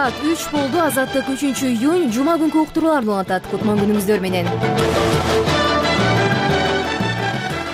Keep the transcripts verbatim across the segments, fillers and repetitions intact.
Саат үч болду. Азаттык үчүнчү июнь жума күнкү уктурууларды улантат. Кутман күнүңүздөр менен.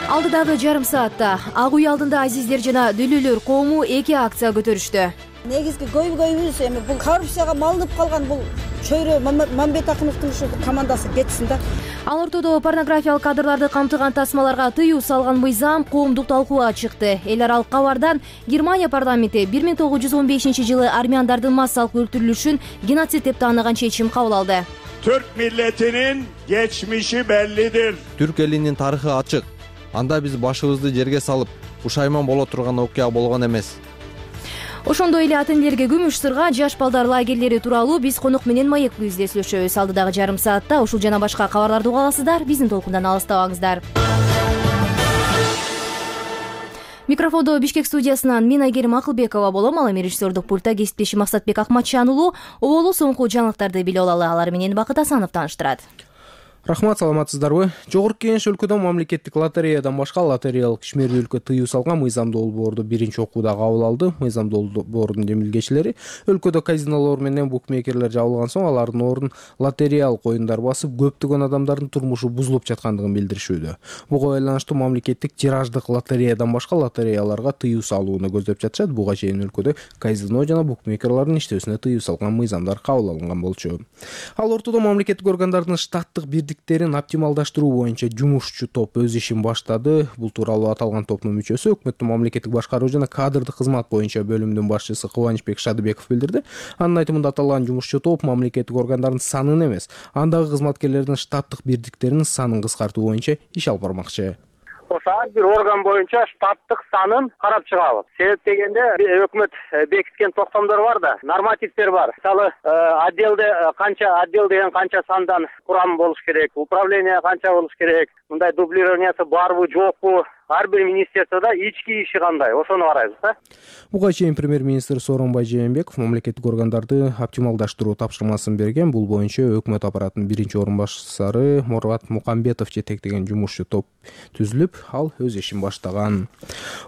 Алдыдагы жарым саатта Ак үй алдында азиздер жана дүлүлөр коому эки акция көтөрүштү. Негизги көйгөйүбүз эми бул коррупцияга малынып калган бул чөйрө Мамбет Акыновдун ушу командасы кетсин да. Ал ортодо порнографиялык кадрларды камтыган тасмаларга тыюу салган мыйзам коомдук талкууга чыкты. Эл аралык кабардан Германия парламенти бир миң тогуз жүз он бешинчи жылы армяндардын массалык өлтүрүлүшүн геноцид деп тааныган чечим кабыл алды. Türk milletinin geçmişi bellidir. Türk элинин тарыхы ачык. Анда биз башыбызды жерге салып, пушайман боло турган окуя болгон эмес. Ошондой эле атын элерге күмүш сырга жаш балдар лагерлери тууралуу биз конок менен маек көздөй сүйлөшөбүз. Алдыдагы жарым саатта ушул жана башка кабарларды уга аласыздар. Биздин толкундан алыстабаңыздар. Микрофондо Бишкек студиясынан мен Айгерим Акылбекова болом. Ал эми режиссердук пультта кесиптешим Максатбек Акматжан уулу оболу соңку жаңылыктарды билип алалы. Алар менен Бакыт Асанов тааныштырат. Рахмат, саламатсыздарбы? Жогорку Кеңеш өлкөдө мамлекеттик лотереядан башка лотереялык ишмердүүлүккө тыюу салган мыйзам долбоорду биринчи окууда кабыл алды. Мыйзам долбоордун жемилгечилери өлкөдө казинолор менен букмекерлер жабылган соң алардын ордун лотереялык оюндар басып, көптөгөн адамдардын турмушу бузулуп жаткандыгын билдиришүүдө. Буга байланыштуу мамлекеттик тираждык лотереядан башка лотереяларга тыюу салууну көздөп жатышат. Буга чейин өлкөдө казино жана букмекерлердин иштөөсүнө тыюу салган мыйзамдар кабыл алынган болчу. Ал ортодо мамлекеттик органдардын штаттык бирдиктерин оптималдаштыруу боюнча жумушчу топ өз ишин баштады. Бул тууралуу аталган топтун мүчөсү өкмөттүн мамлекеттик башкаруу жана кадрдык кызмат боюнча бөлүмүнүн башчысы Кубанычбек Шадыбеков билдирди. Анын айтымында аталган жумушчу топ мамлекеттик органдардын санын эмес, андагы кызматкерлердин штаттык бирдиктеринин санын кыскартуу боюнча иш алып бармакчы. Ошо ар бир орган боюнча штаттык санын карап чыгабыз. Себеп дегенде өкмөт бекиткен токтомдор бар да, нормативдер бар. Мисалы, отделде канча отдел деген канча сандан курам болуш керек, управление канча болуш керек, мындай дублированиясы барбы, жокпу, ар бир министерстводо ички иши кандай, ошону карайбыз да. Буга чейин премьер-министр Сооронбай Жээнбеков мамлекеттик органдарды оптималдаштыруу тапшырмасын берген. Бул боюнча өкмөт аппаратынын биринчи орун башчысы Мурат Мукамбетов жетектеген жумушчу топ түзүлүп, ал өз ишин баштаган.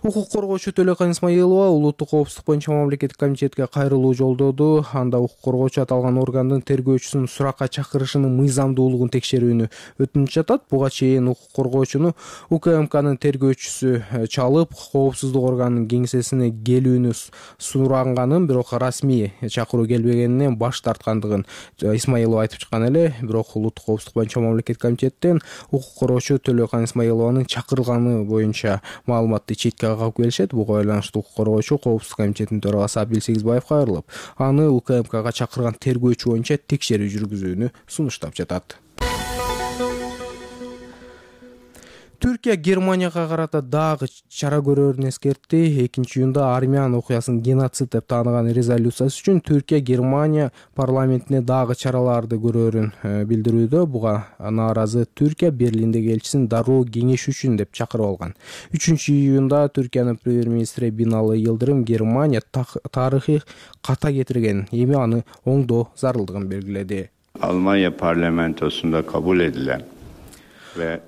Укук коргоочу Төлөкан Исмаилова улуттук коопсуздук боюнча мамлекеттик комитетке кайрылуу жолдоду. Анда укук коргоочу аталган органдын тергөөчүсүн суракка чакырышынын мыйзамдуулугун текшерүүнү өтүнүп жатат. Буга чейин укук коргоочуну УКМКнын тергөөчүсү чалып, коопсуздук органынын кеңсесине келүүнү суранганын, бирок расмий чакыруу келбегенинен баш тарткандыгын Исмаилова айтып чыккан эле. Бирок улуттук коопсуздук боюнча мамлекеттик комитеттен укук коргоочу Төлөкан Исмаилованын чакырылганы боюнча маалыматты четке кагып келишет. Буга байланыштуу укук коргоочу коопсуздук комитетинин төрагасы Абил Сегизбаевге кайрылып, аны УКМКга чакырган тергөөчү боюнча текшерүү жүргүзүүнү сунуштап жатат. Түркия Германияга карата дагы чара көрөрүн эскертти. экинчи июнда армян окуясын геноцид деп тааныган резолюциясы үчүн Түркия Германия парламентине дагы чараларды көрөрүн билдирүүдө. Буга нааразы Түркия Берлиндеги элчисин дароо кеңеш үчүн деп чакырып алган. үчүнчү июнда Түркиянын премьер-министри Бинали Йылдырым Германия тарыхый ката кетирген, эми аны оңдоо зарылдыгын белгиледи. Almanya parlamentosunda kabul edilen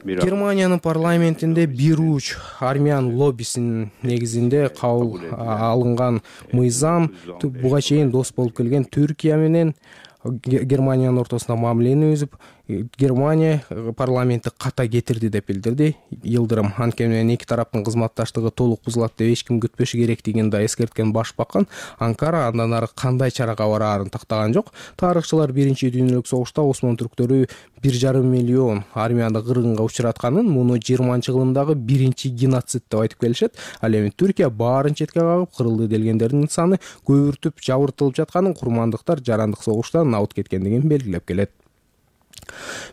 Германиянын парламентинде бир уч армян лоббисинин негизинде кабыл алынган мыйзам буга чейин дос болуп келген Түркия менен Германиянын ортосунда мамилени үзүп, Германия парламенти ката кетирди деп билдирди Йылдырым. Анткени эки тараптын кызматташтыгы толук бузулат деп эч ким күтпөшү керектигин да эскерткен башбакан Анкара андан ары кандай чарага бараарын тактаган жок. Тарыхчылар биринчи дүйнөлүк согушта Осман түрктөрү бир жарым миллион армянды кыргынга учуратканын, муну жыйырманчы кылымдагы биринчи геноцид деп айтып келишет. Ал эми Түркия баарын четке кагып, кырылды делгендердин саны көбүртүп, жабыртылып жатканын, курмандыктар жарандык согуштан аут кеткендигин белгилеп келет.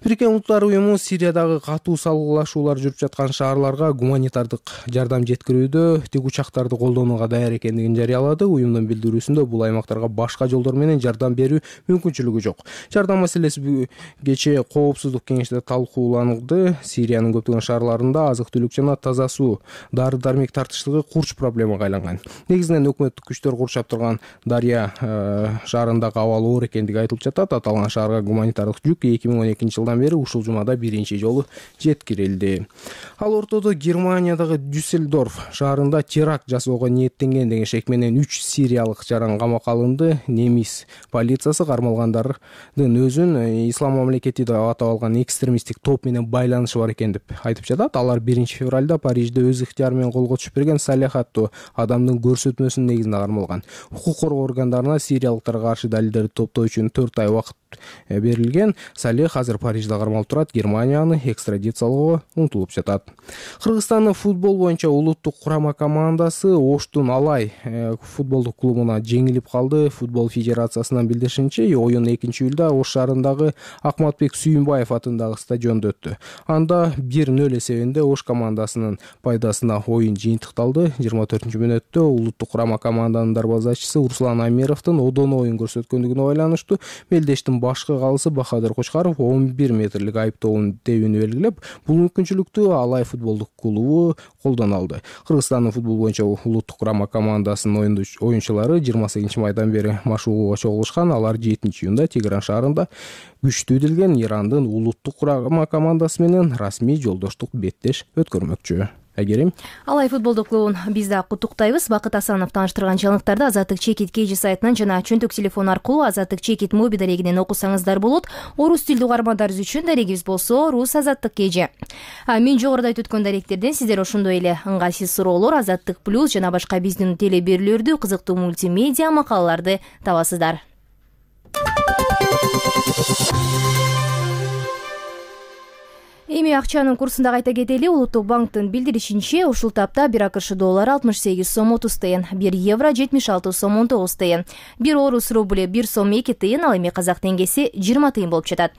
Бириккен Улуттар уюму Сириядагы катуу салгылашуулар жүрүп жаткан шаарларга гуманитардык жардам жеткирүүдө тик учактарды колдонууга даяр экендигин жарыялады. Уюмдун билдирүүсүндө бул аймактарга башка жолдор менен жардам берүү мүмкүнчүлүгү жок. Жардам маселеси кечээ коопсуздук кеңеште талкууланды. Сириянын көптөгөн шаарларында азык-түлүк жана таза суу, дары-дармек тартыштыгы курч проблемага айланган. Негизинен өкмөттүк күчтөр курчап турган Дарья шаарындагы абал оор экендиги айтылып жатат. Аталган шаарга гуманитардык жүк эки миң он экинчи жылдан бери ушул жумада биринчи жолу жеткирилди. Ал ортодо Германиядагы Дюссельдорф шаарында теракт жасоого ниеттенген деген шек менен үч сириялык жаран камакка алынды. Немис полициясы кармалгандардын өзүн ислам мамлекети деп атап алган экстремисттик топ менен байланышы бар экен деп айтып жатат. Алар биринчи февралда Парижде өз ыктыяры менен колго түшүп берген Салех аттуу адамдын көрсөтмөсүнүн негизинде кармалган. Укук коргоо органдарына сириялыктарга каршы далилдерди топтоо үчүн төрт ай убакыт берилген. Салех азыр Парижде кармалып турат. Германия аны экстрадициялоого умтулуп жатат. Кыргызстандын футбол боюнча улуттук курама командасы Оштун Алай футболдук клубуна жеңилип калды. Футбол федерациясынан билдиришинче, оюн экинчи июлда Ош шаарындагы Акматбек Сүйүнбаев атындагы стадиондо өттү. Анда бир нөл эсебинде Ош командасынын пайдасына оюн жыйынтыкталды. жыйырма төртүнчү мүнөттө улуттук курама команданын дарбазачысы Руслан Амировдун одоно оюн көрсөткөндүгүнө байланыштуу мелдештин башкы калысы Бахадыр Кочкаров он бир метрлик айыптоонун тебини белгилеп, бул мүмкүнчүлүктү Алай футболдук клубу колдоно алды. Кыргызстандын футбол боюнча улуттук курама командасынын оюнчулары жыйырма сегизинчи майдан бери машыгууга чогулушкан. Алар жетинчи июнда Тегеран шаарында күчтүү делген Ирандын улуттук курама командасы менен расмий жолдоштук беттеш өткөрмөкчү. Айгерим. Алай футболдук клубун биз да куттуктайбыз. Бакыт Асанов тааныштырган жаңылыктарды Азаттык Чекит Кежи сайтынан жана чөнтөк телефон аркылуу Азаттык Чекит моби дарегинен окусаңыздар болот. Орус тилдүү угармандарыбыз үчүн дарегибиз болсо Рус Азаттык Кежи. Мен жогоруда айтып өткөн даректерден сиздер ошондой эле ыңгайсыз суроолор, Азаттык плюс жана башка биздин теле берүүлөрдү, кызыктуу мультимедиа макалаларды табасыздар. Эми акчанын курсунда кайта кетели. Улуттук банктын билдиришинче, ушул тапта бир АКШ доллары алтымыш сегиз сом отуз тыйын, бир евро жетимиш алты сом он тогуз тыйын, бир орус рубль бир сом эки тыйын, ал эми казак теңгеси жыйырма тыйын болуп жатат.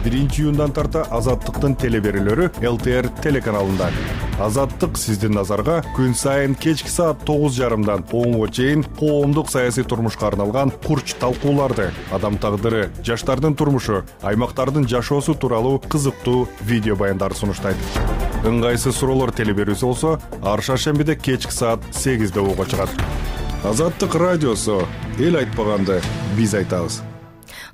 биринчи июндан тарта Азаттыктын теле берүүлөрү эл тэ эр телеканалында. Азаттык сиздин назарга күн сайын кечки саат тогуз жарымдан онго чейин коомдук саясий турмушка арналган курч талкууларды, адам тагдыры, жаштардын турмушу, аймактардын жашоосу тууралуу кызыктуу видео баяндарды сунуштайт. Ыңгайсыз суроолор теле берүүсү болсо, ар шаршембиде кечки саат сегизде ого чыгат. Азаттык радиосу, эл айтпаганды биз айтабыз.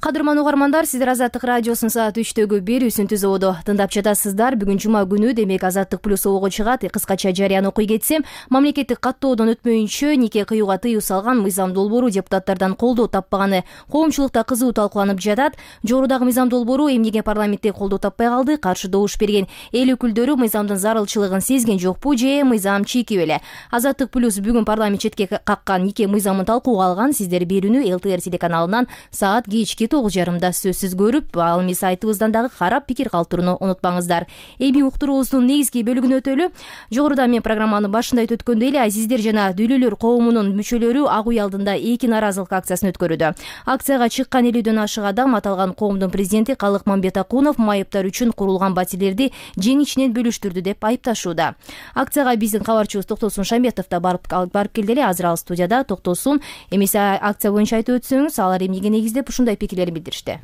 Кадырман угармандар, сиздер Азаттык радиосунун саат үчтөгү берүүсүн түзүүдө тыңдап жатасыздар. Бүгүн жума күнү, демек Азаттык плюс ого чыгат. Кыскача жарыяны окуй кетсем, мамлекеттик каттоодон өтмөйүнчө нике кыюуга тыюу салган мыйзам долбоору депутаттардан колдоо таппаганы коомчулукта кызуу талкууланып жатат. Жогорудагы мыйзам долбоору эмнеге парламентте колдоо таппай калды? Каршы добуш берген эл өкүлдөрү мыйзамдын зарылчылыгын сезген жокпу же мыйзам чийки беле? Азаттык плюс бүгүн парламент четке каккан нике мыйзамын талкууга алган. Сиздер берүүнү эл тэ эр телеканалынан саат кечки тогуз жарымда сөзсүз көрүп, ал эми сайтыбыздан дагы карап пикир калтырууну унутпаңыздар. Эми уктуруубуздун негизги бөлүгүнө өтөлү. Жогоруда мен программанын башында айтып өткөндөй эле, азиздер жана дүлөлөр коомунун мүчөлөрү Ак үй алдында эки нааразылык акциясын өткөрүүдө. Акцияга чыккан элүүдөн ашык адам аталган коомдун президенти Калык Мамбетакунов майыптар үчүн курулган батирлерди жең ичинен бөлүштүрдү деп айыпташууда. Акцияга биздин кабарчыбыз Токтосун Шамбетов да барып барып келди эле. Азыр ал студияда. Токтосун, эмесе акция боюнча айтып өтсөңүз, алар эмнеге негиздеп ушундай пикирлерин билдиришти?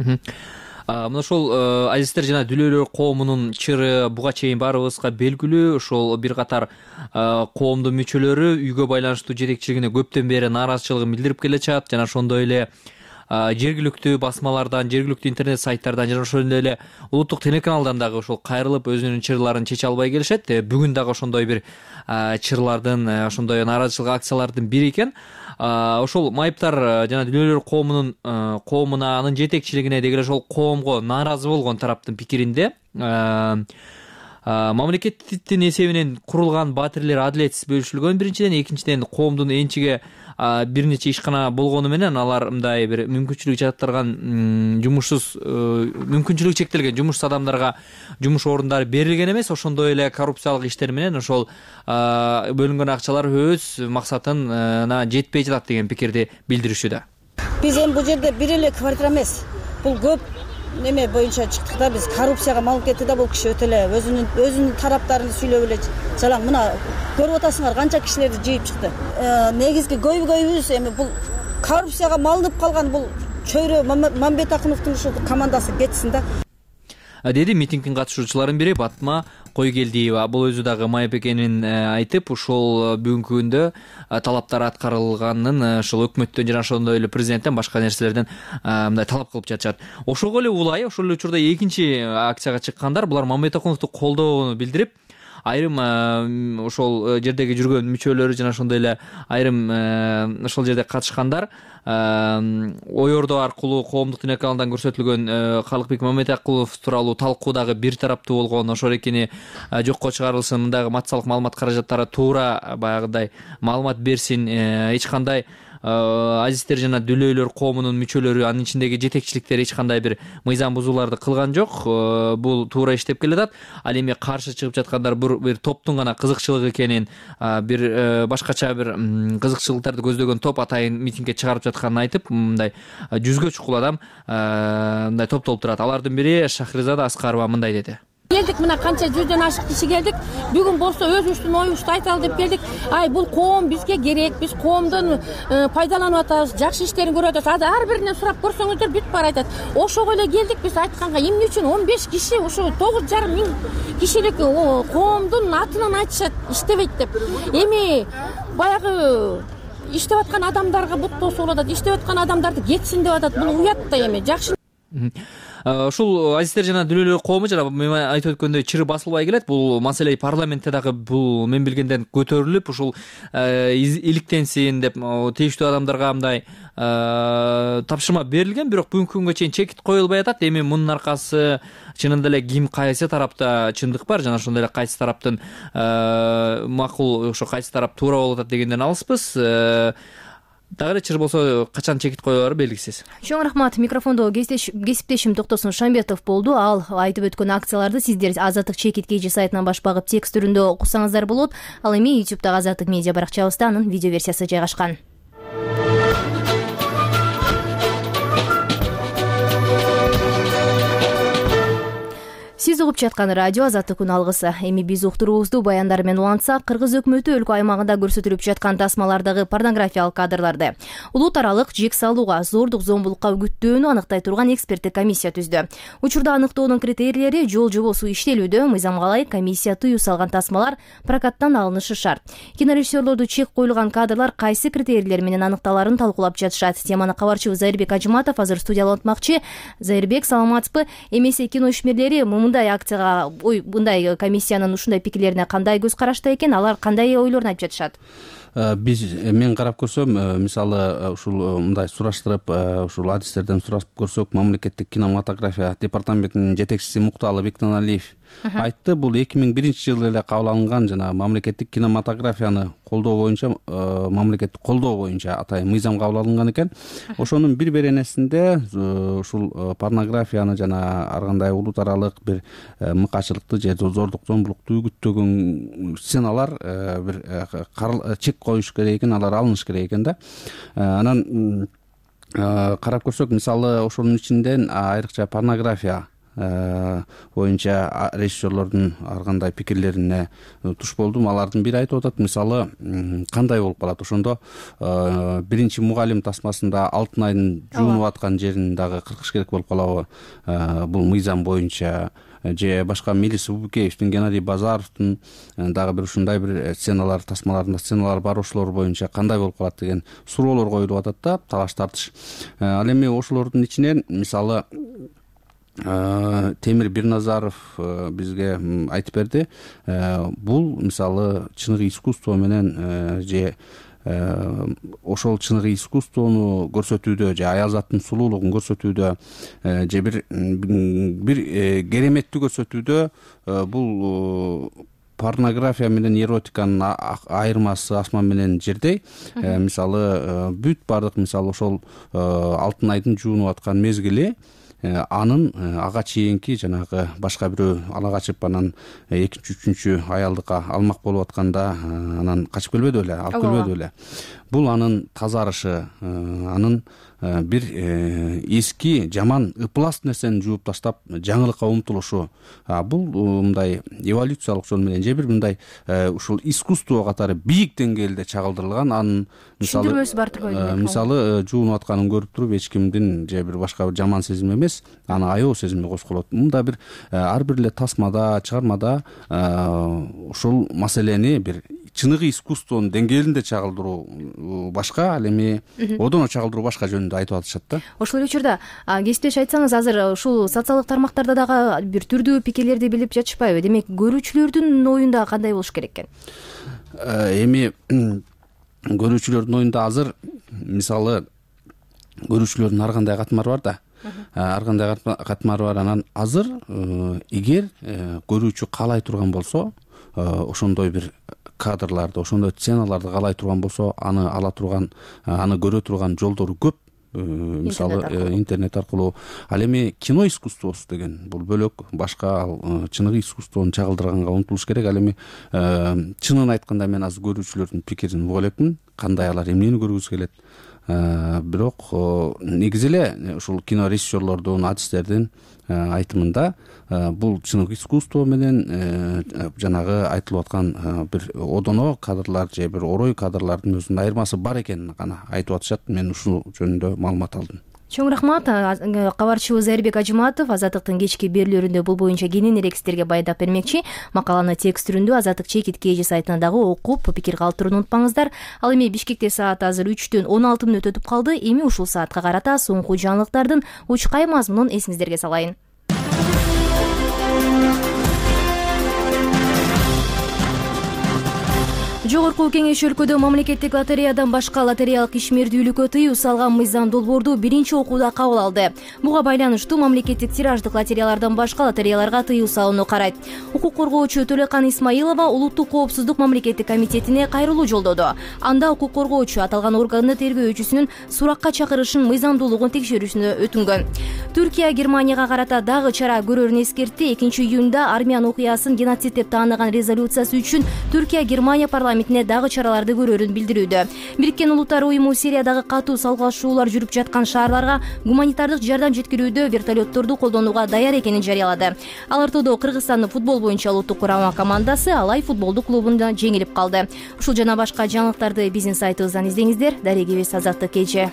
Мына ошол азиздер жана дүлөлөр коомунун чыры буга чейин баарыбызга белгилүү. Ошол бир катар коомдун мүчөлөрү үйгө байланыштуу жетекчилигине көптөн бери нааразычылыгын билдирип келе жатат. Жана ошондой эле жергиликтүү басмалардан, жергиликтүү интернет сайттардан жана ошондой эле улуттук телеканалдан дагы ошол кайрылып өзүнүн чырларын чече албай келишет. Бүгүн дагы ошондой бир чырлардын, ошондой нааразычылык акциялардын бири экен. Ошол майыптар жана дүлөлөр коомунун коомуна, анын жетекчилигине деги эле ошол коомго нааразы болгон тараптын пикиринде мамлекеттин эсебинен курулган батирлер адилетсиз бөлүшүлгөн биринчиден, экинчиден коомдун энчиге бир нече ишкана болгону менен алар мындай бир мүмкүнчүлүгү жатырган жумушсуз мүмкүнчүлүгү чектелген жумушсуз адамдарга жумуш орундары берилген эмес. Ошондой эле коррупциялык иштер менен ошол бөлүнгөн акчалар өз максатына жетпей жатат деген пикирди билдиришүүдө. Биз эми бул жерде бир эле квартира эмес, бул көп неме боюнча чыктык да. Биз коррупцияга малып кетти да. Бул киши өтө эле өзүнүн өзүнүн тараптарын сүйлөп эле жалаң мына көрүп атасыңар канча кишилерди жыйып чыкты. Негизги көйгөйүбүз эми бул коррупцияга малынып калган бул чөйрө Мамбетакуновдун ушул командасы кетсин да. деди митингдин катышуучуларынын бири Батма Койгелдиева. Бул өзү дагы маек экенин айтып, ушул бүгүнкү күндө талаптар аткарылганын ушул өкмөттөн жана ошондой эле президенттен башка нерселерден мындай талап кылып жатышат. Ошого эле улай ошол эле учурда экинчи акцияга чыккандар булар Мамедакуновду колдоону билдирип, айрым ошол жердеги жүргөн мүчөлөрү жана ошондой эле айрым ошол жерде катышкандар ойордо аркылуу коомдук телеканалдан көрсөтүлгөн Калыкбек Мамедакулов тууралуу талкуу дагы бир тараптуу болгон, ошол экени жокко чыгарылсын, мындагы массалык маалымат каражаттары туура баягыдай маалымат берсин, эч кандай азиздер жана дүлөйлөр коомунун мүчөлөрү, анын ичиндеги жетекчиликтер эч кандай бир мыйзам бузууларды кылган жок. Бул туура иштеп келатат. Ал эми каршы чыгып жаткандар бир топтун гана кызыкчылыгы экенин, бир башкача бир кызыкчылыктарды көздөгөн топ атайын митингге чыгарып жатканын айтып, мындай жүзгө чукул адам мындай топтолуп турат. Алардын бири Шахризада Аскарова мындай деди. Келдик, мына канча жүздөн ашык киши келдик. Бүгүн болсо өзүбүздүн оюбузду айталы деп келдик. Ай, бул коом бизге керек. Биз коомдон пайдаланып атабыз, жакшы иштерин көрүп атабыз. Азыр ар биринен сурап көрсөңүздөр бүт баары айтат. Ошого эле келдик биз айтканга. Эмне үчүн он беш киши ошо тогуз жарым миң кишилик коомдун атынан айтышат, иштебейт деп. Эми баягы иштеп аткан адамдарга бут тосуп атат, иштеп аткан адамдарды кетсин деп атат. Бул уят да эми. Жакшы. Ушул азиздер жана дүлөйлөр коому жана мен айтып өткөндөй чыры басылбай келет. Бул маселе парламентте дагы бул мен билгенден көтөрүлүп, ушул иликтенсин деп тийиштүү адамдарга мындай тапшырма берилген, бирок бүгүнкү күнгө чейин чекит коюлбай атат. Эми мунун аркасы чынында эле ким кайсы тарапта чындык бар жана ошондой эле кайсы тараптын макул, ошо кайсы тарап туура болуп атат дегенден алыспыз. Дагы эле чыр болсо качан чекит коюлары белгисиз. Чоң рахмат. Микрофондо кесиптешим Токтосун Шамбетов болду. Ал айтып өткөн акцияларды сиздер Азаттык чекит кей жи сайтынан баш багып текст түрүндө окусаңыздар болот. Ал эми ютубтагы Азаттык медиа баракчабызда анын видео версиясы жайгашкан. Сиз угуп жаткан радио Азаттык күн алгысы. Эми биз уктуруубузду баяндар менен улантсак, Кыргыз өкмөтү өлкө аймагында көрсөтүлүп жаткан тасмалардагы порнографиялык кадрларды улут аралык жек салууга, зордук зомбулукка үгүттөөнү аныктай турган эксперттик комиссия түздү. Учурда аныктоонун критерийлери жол жобосу иштелүүдө. Мыйзамга ылайык комиссия тыюу салган тасмалар прокаттан алынышы шарт. Кинорежиссерлорду чек коюлган кадрлар кайсы критерийлер менен аныкталарын талкуулап жатышат. Теманы кабарчыбыз Зайырбек Ажыматов азыр студияда улантмакчы. Зайырбек, саламатсызбы? Эмесе кино ишмерлери мындай акцияга, ой, мындай комиссиянын ушундай пикирлерине кандай көз карашта экен, алар кандай ойлорун айтып жатышат? Биз мен карап көрсөм, мисалы ушул мындай сураштырып, ушул адистерден сурап көрсөк, мамлекеттик кинематография департаментинин жетекчиси Мукталы Бектеналиев айтты. Бул эки миң биринчи жылы эле кабыл алынган жана мамлекеттик кинематографияны колдоо боюнча, мамлекеттик колдоо боюнча атайын мыйзам кабыл алынган экен. Ошонун бир беренесинде ушул порнографияны жана ар кандай улут аралык бир мыкачылыкты же зордук зомбулукту үгүттөгөн сценалар бир чек коюш керек экен, алар алыныш керек экен да. Анан карап көрсөк, мисалы ошонун ичинден айрыкча порнография боюнча режиссерлордун ар кандай пикирлерине туш болдум. Алардын бири айтып атат, мисалы кандай болуп калат ошондо биринчи мугалим тасмасында алтын айдын жуунуп аткан жерин дагы кыркыш керек болуп калабы бул мыйзам боюнча, же башка Мелис Убукеевдин, Геннадий Базаровдун дагы бир ушундай бир сценалар, тасмаларында сценалар бар, ошолор боюнча кандай болуп калат деген суроолор коюлуп атат да, талаш тартыш. Ал эми ошолордун ичинен мисалы Темир Бирназаров бизге айтып берди. Бул мисалы чыныгы искусство менен же ошол чыныгы искусствону көрсөтүүдө же аял заттын сулуулугун көрсөтүүдө же бир бир кереметтүү көрсөтүүдө бул порнография менен эротиканын айырмасы асман менен жердей. Мисалы бүт бардык мисалы ошол алтын айдын жуунуп аткан мезгили анын ага чейинки жанагы башка бирөө ала качып анан экинчи үчүнчү аялдыкка алмак болуп атканда анан качып келбеди беле, алып келбеди беле. Бул анын тазарышы, анын бир эски жаман ыплас нерсени жууп таштап жаңылыкка умтулушу, бул мындай эволюциялык жол менен же бир мындай ушул искусство катары бийик деңгээлде чагылдырылган. Анын мисалы түшүндүрмөсү бар турбайбы? Мисалы жуунуп атканын көрүп туруп эч кимдин же бир башка бир жаман сезим эмес, аны аябоо сезимге козголот. Мында бир ар бир эле тасмада, чыгармада ушул маселени бир чыныгы искусствонун деңгээлинде чагылдыруу башка, ал эми одоно чагылдыруу башка жөнүндө айтып атышат да. Ошол эле учурда кесиптеш айтсаңыз, азыр ушул социалдык тармактарда дагы бир түрдүү пикирлерди билип жатышпайбы? Демек көрүүчүлөрдүн оюнда кандай болуш керек экен? Эми көрүүчүлөрдүн оюнда азыр мисалы көрүүчүлөрдүн ар кандай катмары бар да. Ар кандай катмары бар. Анан азыр эгер көрүүчү каалай турган болсо, ошондой бир кадрларды, ошондой сценаларды каалай турган болсо, аны ала турган, аны көрө турган жолдору көп. Мисалы интернет аркылуу. Ал эми кино искусствосу деген бул бөлөк, башка ал чыныгы искусствону чагылдырганга умтулуш керек. Ал эми чынын айтканда мен азыр көрүүчүлөрдүн пикирин уга элекмин, кандай алар эмнени көргүсү келет. Бирок негизи эле ушул кино режиссерлордун, артисттердин айтымында бул чыныгы искусство менен жанагы айтылып аткан бир одоно кадрлар же бир орой кадрлардын өзүнүн айырмасы бар экенин гана айтып атышат. Мен ушул жөнүндө маалымат алдым. Чоң рахмат. Кабарчыбыз Айырбек Ажыматов Азаттыктын кечки берүүлөрүндө бул боюнча кененирээк сиздерге байдап бермекчи. Макаланы текст түрүндө Азаттык чекит кж сайтына дагы окуп, пикир калтырууну унутпаңыздар. Ал эми Бишкекте саат азыр үчтөн он алты мүнөт өтүп калды. Эми ушул саатка карата соңку жаңылыктардын учкай мазмунун эсиңиздерге салайын. Жогорку Кеңеш өлкөдө мамлекеттик лотереядан башка лотереялык ишмердүүлүккө тыюу салган мыйзам долбоорду биринчи окууда кабыл алды. Буга байланыштуу мамлекеттик тираждык лотереялардан башка лотереяларга тыюу салууну карайт. Укук коргоочу Төлөкан Исмаилова Улуттук коопсуздук мамлекеттик комитетине кайрылуу жолдоду. Анда укук коргоочу аталган органды тергөөчүсүнүн суракка чакырышын мыйзамдуулугун текшерүүсүнө өтүнгөн. Түркия Германияга карата дагы чара көрөрүн эскертти. экинчи июнда армян окуясын геноцид деп тааныган резолюциясы үчүн Түркия Германия парламентине дагы чараларды көрөрүн билдирүүдө. Бириккен Улуттар уюму Сириядагы катуу салгылашуулар жүрүп жаткан шаарларга гуманитардык жардам жеткирүүдө вертолетторду колдонууга даяр экенин жарыялады. Ал ортодо Кыргызстандын футбол боюнча улуттук курама командасы Алай футболдук клубунда жеңилип калды. Ушул жана башка жаңылыктарды биздин сайтыбыздан издеңиздер. Дарегибиз Азаттык кж.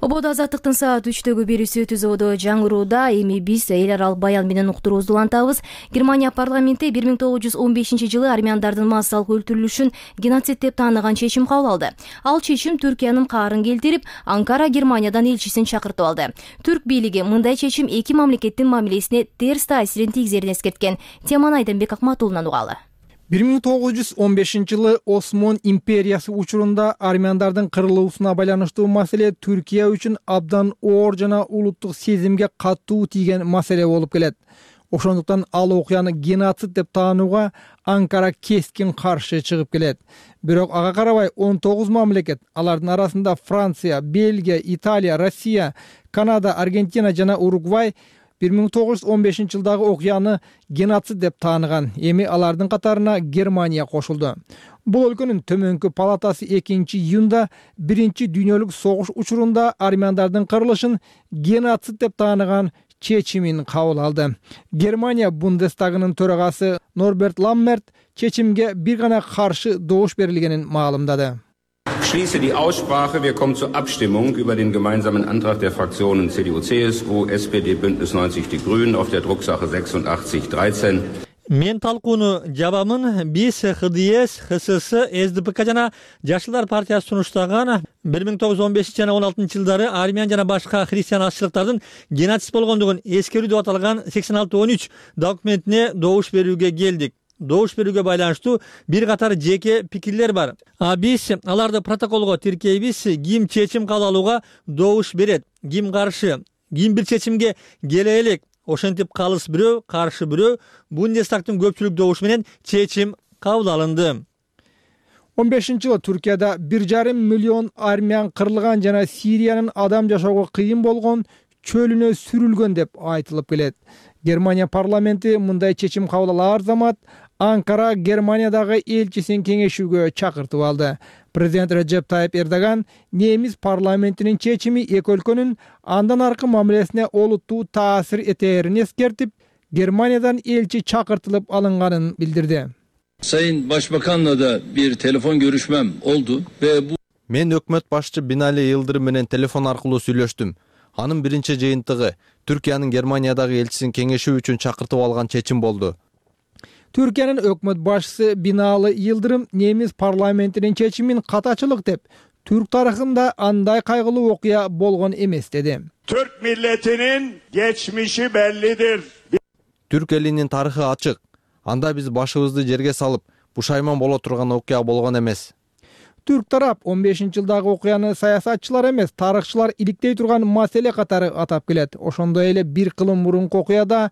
Ободо Азаттыктын саат үчтөгү берүүсү түзүүдө жаңырууда. Эми биз эл аралык баян менен уктуруубузду улантабыз. Германия парламенти бир миң тогуз жүз он бешинчи жылы армяндардын массалык өлтүрүлүшүн геноцид деп тааныган чечим кабыл алды. Ал чечим Түркиянын каарын келтирип, Анкара Германиядан элчисин чакыртып алды. Түрк бийлиги мындай чечим эки мамлекеттин мамилесине терс таасирин тийгизерин эскерткен. Теманы Айдамбек Акматулунан угалы. бир миң тогуз жүз он бешинчи жылы Осмон империясы учурунда армяндардын кырылуусуна байланыштуу маселе Түркия үчүн абдан оор жана улуттук сезимге катуу тийген маселе болуп келет. Ошондуктан ал окуяны геноцид деп таанууга Анкара кескин каршы чыгып келет. Бирок ага карабай он тогуз мамлекет, алардын арасында Франция, Бельгия, Италия, Россия, Канада, Аргентина жана Уругвай бир миң тогуз жүз он бешинчи жылдагы окуяны геноцид деп тааныган. Эми алардын катарына Германия кошулду. Бул өлкөнүн төмөнкү палатасы экинчи июнда биринчи дүйнөлүк согуш учурунда армяндардын кырылышын геноцид деп тааныган чечимин кабыл алды. Германия Бундестагынын төрагасы Норберт Ламмерт чечимге бир гана каршы добуш берилгенин маалымдады. Schließe die Aussprache. Wir kommen zur Abstimmung über den gemeinsamen Antrag der Fraktionen C D U, C S U, S P D, Bündnis neunzig Die Grünen auf der Drucksache сексен dreizehn. Мен талкууну жабамын. Биз Х Д С, Х С С, С Д П К жана Жашылдар партиясы сунуштаган бир миң тогуз жүз он бешинчи жана он алтынчы жылдары армян жана башка христиан азчылыктардын геноцид болгондугун эскерүү деп аталган сексен алты он үч документине добуш берүүгө келдик. Добуш берүүгө байланыштуу бир катар жеке пикирлер бар. А биз аларды протоколго тиркейбиз. Ким чечим кабыл алууга добуш берет, ким каршы, ким бир чечимге келе элек. Ошентип калыс бирөө, каршы бирөө. Бундестагдын көпчүлүк добушу менен чечим кабыл алынды. он бешинчи жылы Түркияда бир жарым миллион армян кырылган жана Сириянын адам жашоого кыйын болгон чөлүнө сүрүлгөн деп айтылып келет. Германия парламенти мындай чечим кабыл алаар замат Анкара Германиядагы элчисин кеңешүүгө чакыртып алды. Президент Реджеп Тайып Эрдоган немис парламентинин чечими эки өлкөнүн андан аркы мамилесине олуттуу таасир этерин эскертип, Германиядан элчи чакыртылып алынганын билдирди. Sayın Başbakan'la da bir telefon görüşmem oldu ve bu Мен өкмөт башчы Бинали Йылдырым менен телефон аркылуу сүйлөштүм. Анын биринчи жыйынтыгы Түркиянын Германиядагы элчисин кеңешүү үчүн чакыртып алган чечим болду. Түркиянын өкмөт башчысы Бинали Йылдырым немис парламентинин чечимин катачылык деп, Türk тарыхында андай кайгылуу окуя болгон эмес деди. Türk milletinin geçmişi bellidir. Түрк элинин тарыхы ачык. Анда биз башыбызды жерге салып, пушайман боло турган окуя болгон эмес. Түрк тарап он бешинчи жылдагы окуяны саясатчылар эмес, тарыхчылар иликтей турган маселе катары атап келет. Ошондой эле бир кылым мурунку окуяда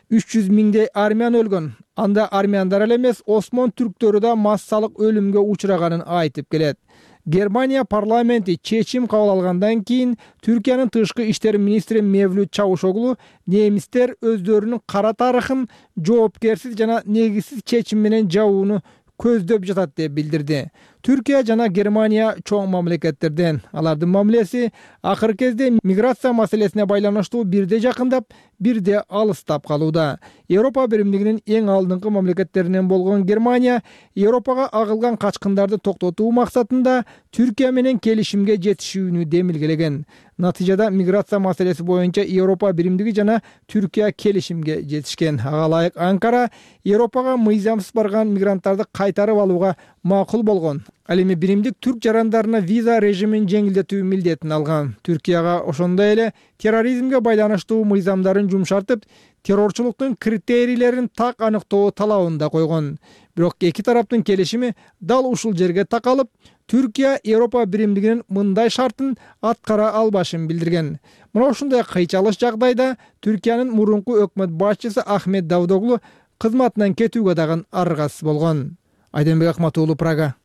үч жүз миңдей армян өлгөн. Анда армяндар эле эмес, Осмон түрктөрү да массалык өлүмгө учраганын айтып келет. Германия парламенти чечим кабыл алгандан кийин Түркиянын тышкы иштер министри Мевлют Чавушоглу немистер өздөрүнүн кара тарыхын жоопкерсиз жана негизсиз чечим менен жабууну көздөп жатат деп билдирди. Түркия жана Германия чоң мамлекеттерден. Алардын мамилеси акыркы кезде миграция маселесине байланыштуу бирде жакындап, бирде алыстап калууда. Европа биримдигинин эң алдыңкы мамлекеттеринен болгон Германия Европага агылган качкындарды токтотуу максатында Түркия менен келишимге жетишүүнү демилгелеген. Натыйжада миграция маселеси боюнча Европа биримдиги жана Түркия келишимге жетишкен. Ага ылайык Анкара Европага мыйзамсыз барган мигранттарды кайтарып алууга макул болгон. Ал эми биримдик түрк жарандарына виза режимин жеңилдетүү милдетин алган. Түркияга ошондой эле терроризмге байланыштуу мыйзамдарын жумшартып, террорчулуктун критерийлерин так аныктоо талабын да койгон. Бирок эки тараптын келишими дал ушул жерге такалып, Түркия Европа биримдигинин мындай шартын аткара албашын билдирген. Мына ушундай кыйчалыш жагдайда Түркиянын мурунку өкмөт башчысы Ахмет Давдоглу кызматынан кетүүгө дагы аргасыз болгон. Айденбек Акматуулу, Прага.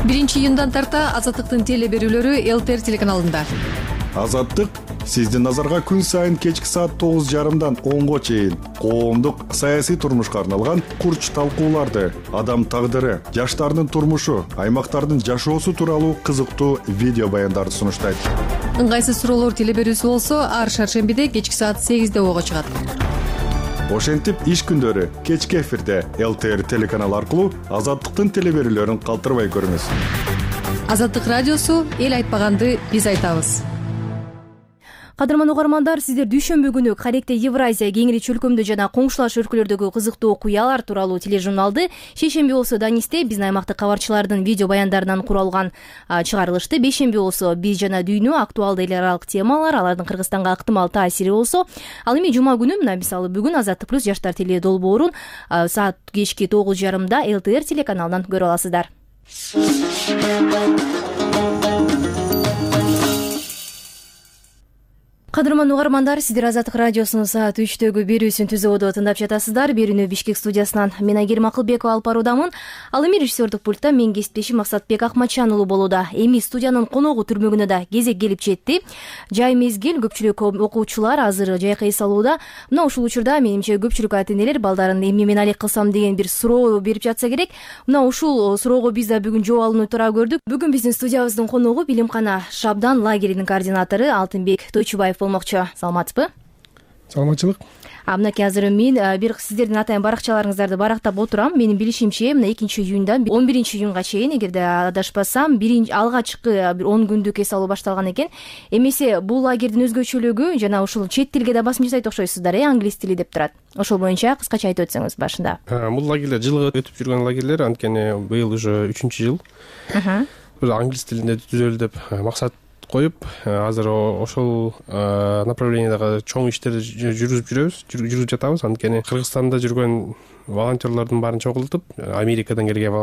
биринчи июндан тарта Азаттыктын теле берүүлөрү эл тэ эр телеканалында. Азаттык сиздин назарга күн сайын кечки саат тогуз жарымдан онго чейин коомдук саясий турмушка арналган курч талкууларды, адам тагдыры, жаштардын турмушу, аймактардын жашоосу тууралуу кызыктуу видео баяндарды сунуштайт. Ыңгайсыз суроолор теле берүүсү болсо ар шаршембиде кечки саат сегизде ого чыгат. Ошентип иш күндөрү кечки эфирде эл тэ эр телеканалы аркылуу Азаттыктын теле берүүлөрүн калтырбай көрүңүз. Азаттык радиосу эл айтпаганды биз айтабыз. Кадырман угармандар, сиздер дүйшөмбү күнү Каректе Евразия, Кеңири чөлкөмдө жана коңшулаш өлкөлөрдөгү кызыктуу окуялар тууралуу тележурналды шейшемби болсо Данисте биздин аймактык кабарчылардын видео баяндарынан куралган чыгарылышты. Бейшемби болсо биз жана дүйнө, актуалдуу эл аралык темалар, алардын Кыргызстанга ыктымал таасири болсо, ал эми жума күнү мына мисалы бүгүн Азаттык плюс жаштар теле долбоорун саат кечки тогуз жарымда эл тэ эр телеканалынан көрө аласыздар. Кадырман угармандар, сиздер Азаттык радиосунун саат үчтөгү берүүсүн түзүүдө тыңдап жатасыздар. Берүүнү Бишкек студиясынан мен Айгерим Акылбекова алып баруудамын. Ал эми режиссердик пультта мен кесиптешим Максатбек Акматжан уулу болууда. Эми студиянын коногу түрмөгүнө да кезек келип жетти. Жай мезгил, көпчүлүк окуучулар азыр жайка эс алууда. Мына ушул учурда менимче көпчүлүк ата-энелер балдарын эмне менен алек кылсам деген бир суроо берип жатса керек. Мына ушул суроого биз да бүгүн жооп алууну туура көрдүк. Бүгүн биздин студиябыздын коногу билимкана Шабдан лагеринин координатору Алтынбек Тойчубаев болмокчу. Саламатсызбы? Саламатчылык. А мынакей азыр мен бир сиздердин атайын баракчаларыңыздарды барактап отурам. Менин билишимче, мына экинчи июндан он биринчи июнга чейин, эгерде адашпасам, биринчи алгачкы бир он күндүк эс алуу башталган экен. Эмесе бул лагердин өзгөчөлүгү жана ушул чет тилге да басым жасайт окшойсуздар, э, англис тили деп турат. Ошол боюнча кыскача айтып өтсөңүз башында. Бул лагерлер жылга өтүп жүргөн лагерлер, анткени быйыл уже үчүнчү жыл. Англис тилинде түзөлү деп максат коюп, азыр ошол направлениедагы чоң иштерди жүргүзүп жүрөбүз, жүргүзүп жатабыз. Анткени Кыргызстанда жүргөн волонтерлордун баарын чогултуп, Америкадан келген,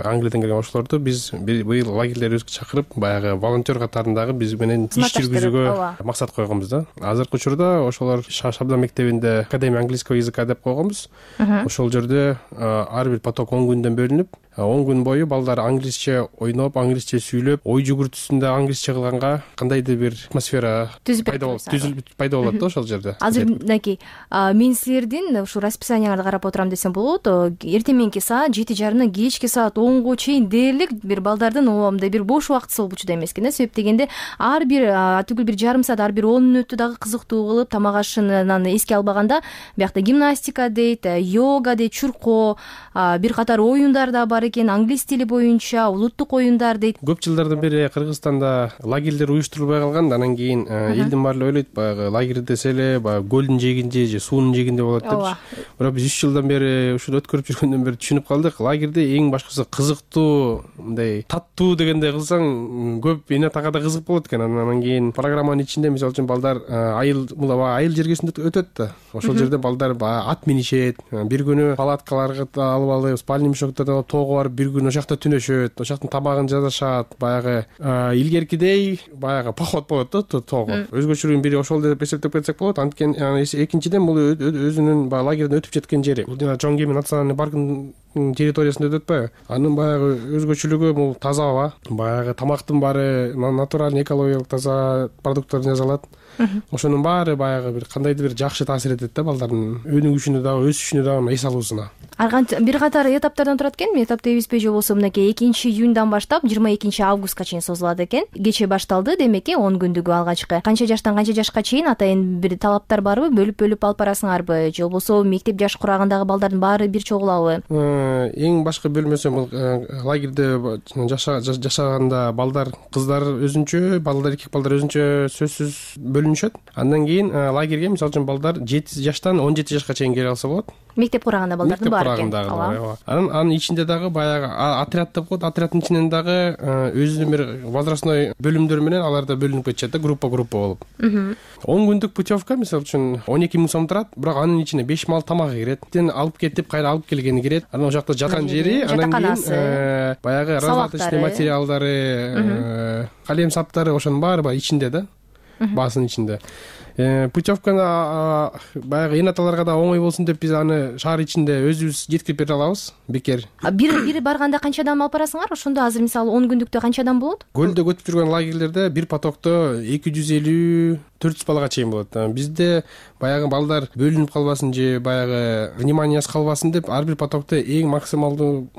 Англиядан келген ошолорду биз быйыл лагерлерибизге чакырып, баягы волонтер катарындагы биз менен иш жүргүзүүгө максат койгонбуз да. Азыркы учурда ошолор Шабдан мектебинде Академия английского языка деп койгонбуз. Ошол жерде ар бир поток он күндөн бөлүнүп, он күн бою балдар англисче ойноп, англисче сүйлөп, ой жүгүртүүсүндө англисче кылганга кандайдыр бир атмосфера пайда болот, түзүлүп пайда болот да ошол жерде. Азыр мынакей мен силердин ушу расписанияңарды карап отурам десем болот. Эртең мененки саат жети жарымдан кечки саат онго чейин дээрлик бир балдардын мындай бир бош убактысы болуп учурда эмес экен да. Себеп дегенде ар бир түгүл бир жарым саат, ар бир он мүнөттү дагы кызыктуу кылып, тамак ашынан эске албаганда биякта гимнастика дейт, йога дейт, чуркоо, бир катар оюндар да бар экен, англис тили боюнча улуттук оюндар дейт. Көп жылдардан бери Кыргызстанда лагерлер уюштурулбай калган, анан кийин элдин баары ойлойт баягы лагерь десе эле баягы көлдүн жээгинде же суунун жээгинде болот деп. Бирок биз үч жылдан бери ушуну өткөрүп жүргөндөн бери түшүнүп калдык, лагерде эң башкысы кызыктуу, мындай таттуу дегендей кылсаң көп эне тагада кызык болот экен. Анан кийин программанын ичинде мисалы үчүн балдар айыл мула айыл жергесинде өтөт да. Ошол жерде балдар ат минишет, бир күнү палаткаларга алып алып, спальный мешокторду алып тоого барып бир күн ошол жакта түнөшөт, ошол жактын тамагын жасашат. Баягы илгеркидей баягы поход болот да тоого. Өзгөчөлүгүн бири ошол деп эсептеп кетсек болот. Анткени экинчиден бул өзүнүн баягы лагерден өтүп жеткен жери. Бул жана Чоң Кеми национальный паркынын территориясында өтөт атпайбы? Анын баягы өзгөчөлүгү бул таза аба, баягы тамактын баары натуралдуу экологиялык таза продукттардан жасалат. Ошонун баары баягы бир кандайдыр бир жакшы таасир этет да балдардын өнүгүшүнө дагы, өсүшүнө дагы, эс алуусуна. Бир катар этаптардан турат экен. Этап дебизби же болбосо мынакей экинчи июньдан баштап жыйырма экинчи августка чейин созулат экен. Кечээ башталды, демек он күндүгү алгачкы. Канча жаштан канча жашка чейин атайын бир талаптар барбы? Бөлүп-бөлүп алып барасыңарбы? Же болбосо мектеп жаш курагындагы балдардын баары бир чогулабы? Эң башкы бөлмөсү бул лагерде жашаганда балдар, кыздар өзүнчө, балдар, эркек балдар өзүнчө сөзсүз бөлүнүшөт. Андан кийин лагерге мисалы үчүн балдар жети жаштан он жети жашка чейин келе алса болот. Мектеп курагында балдардын баары экен. Анан анын ичинде дагы баягы отряд деп коет. Отряддын ичинен дагы өзүнүн бир возрастной бөлүмдөр менен алар да бөлүнүп кетишет да, группа группа болуп. он күндүк путевка мисалы үчүн он эки миң сом турат, бирок анын ичине беш мал тамагы кирет. Тен алып кетип, кайра алып келгени кирет. Анан ошол жакта жаткан жери, анан кийин баягы разлаточный материалдары, калем саптары ошонун баары баягы ичинде да, баасынын ичинде. Путевканы баягы эне аталарга да оңой болсун деп биз аны шаар ичинде өзүбүз жеткирип бере алабыз, бекер. Бир бир барганда канча адам алып барасыңар? Ошондо азыр мисалы он күндүктө канча адам болот? Көлдө өтүп жүргөн лагерлерде бир потокто эки жүз элүү төрт жүз балага чейин болот. Бизде баягы балдар бөлүнүп калбасын же баягы вниманиясыз калбасын деп ар бир потокто эң максималдуу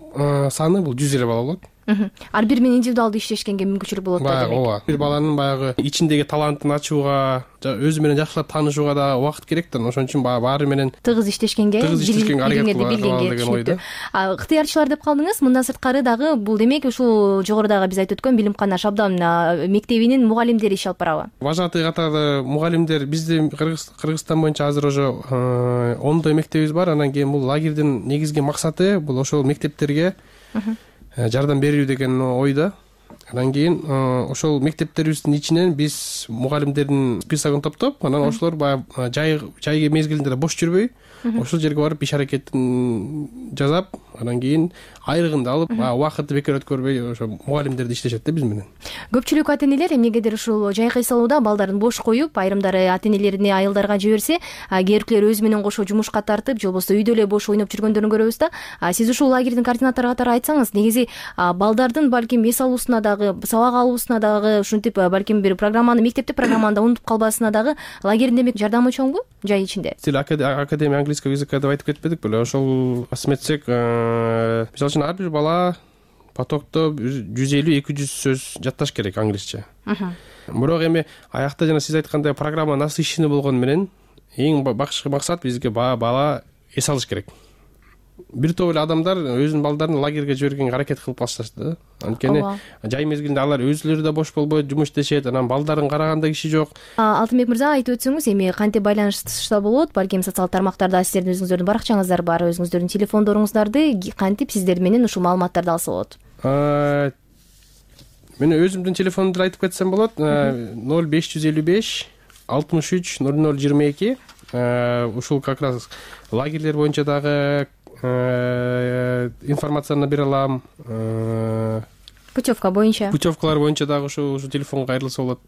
саны бул жүз элүү бала болот. Ар бир менен индивидуалдуу иштешкенге мүмкүнчүлүк болот да демек. Ооба. Бир баланын баягы ичиндеги талантын ачууга, өзү менен жакшылап таанышууга да убакыт керек да. Ошон үчүн баары менен тыгыз иштешкенге, тыгыз иштешкенге аракет кылган деген ойда. Ыктыярчылар деп калдыңыз. Мындан сырткары дагы бул демек ушул жогорудагы биз айтып өткөн Билимкана Шабдан мектебинин мугалимдери иш алып барабы? Вожатый катары мугалимдер бизде Кыргызстан боюнча азыр уже ондой мектебибиз бар. Анан кийин бул лагердин негизги максаты бул ошол мектептерге жардам берүү деген ойда. Андан кийин ошол мектептерибиздин ичинен биз мугалимдердин списогун топтоп, анан ошолор баягы жай жай мезгилинде бош жүрбөй, ошол жерге барып иш аракетин жасап, анан кийин айрыгын алып, убакытты бекер өткөрбөй ошо мугалимдерди иштешет да биз менен. Көпчүлүк ата энелер эмнегедир ушул жай кыйсалууда балдарын бош коюп, айрымдары ата энелерине айылдарга жиберсе, кээбиркилер өзү менен кошо жумушка тартып, же болбосо үйдө эле бош ойноп жүргөндөрүн көрөбүз да. Сиз ушул лагердин координатору катары айтсаңыз, негизи балдардын балким эс алуусуна дагы, сабак алуусуна дагы, ушинтип балким бир программаны, мектепте программаны унутуп калбасына дагы лагердин демек жардамы чоңбу жай ичинде? Сил академия английского языка деп айтып кетпедик беле? Ошол асметсек, мисалы үчүн ар бир бала потокто жүз элүү эки жүз сөз жатташ керек англисче. Бирок эми аякта жана сиз айткандай программа насыщенный болгону менен эң башкы максат бизге бала эс алыш керек. Бир топ эле адамдар өзүнүн балдарын лагерге жибергенге аракет кылып башташты да. Анткени жай мезгилинде алар өзүлөрү да бош болбойт, жумуш иштешет, анан балдарын караганда киши жок. Алтынбек мырза, айтып өтсөңүз, эми кантип байланышта болот? Балким социалдык тармактарда сиздердин өзүңүздөрдүн баракчаңыздар бар, өзүңүздөрдүн телефондоруңуздарды кантип сиздер менен ушул маалыматтарды алса болот? Мен өзүмдүн телефондумду айтып кетсем болот. ноль беш жүз элүү беш алтымыш үч ноль ноль жыйырма эки. Ушул как раз лагерлер боюнча дагы информацияны бере алам. Путевка боюнча. Путевкалар боюнча дагы ушу телефонго кайрылса болот.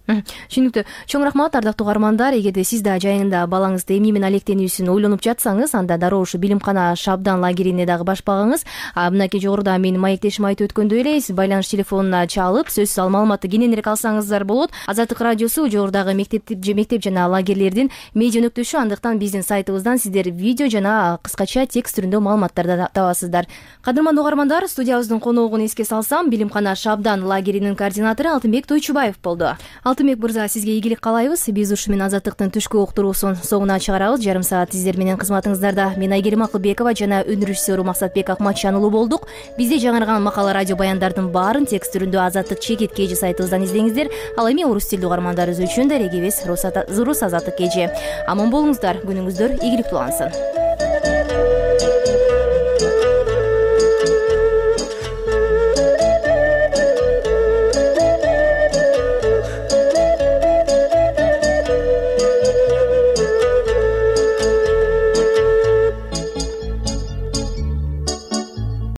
Түшүнүктүү. Чоң рахмат, ардактуу угармандар. Эгерде сиз да жайында балаңызды эмне менен алектенүүсүн ойлонуп жатсаңыз, анда дароо ушу билимкана Шабдан лагерине дагы баш багыңыз. Мынакей жогоруда менин маектешим айтып өткөндөй эле, сиз байланыш телефонуна чалып, сөзсүз ал маалыматты кененирээк алсаңыздар болот. Азаттык радиосу жогорудагы мектеп мектеп жана лагерлердин медиа өнөктөшү, андыктан биздин сайтыбыздан сиздер видео жана кыскача текст түрүндө маалыматтарды табасыздар. Кадырмандуу угармандар, студиябыздын коногун эске салсам, билимкана Шабдан лагеринин координатору Алтынбек Тойчубаев болду. Алтынбек мырза, сизге ийгилик каалайбыз. Биз ушу менен Азаттыктын түшкү уктуруусун соңуна чыгарабыз. Жарым саат сиздер менен кызматыңыздарда мен Айгерим Акылбекова жана өнөр режиссеру Максатбек Акматжан уулу болдук. Бизде жаңырган макала, радио баяндардын баарын текст түрүндө Азаттык чекит кежи сайтыбыздан издеңиздер. Ал эми орус тилдүү угармандарыбыз үчүн да регибиз Рус Азаттык кежи. Аман болуңуздар, күнүңүздөр ийгиликтүү улансын.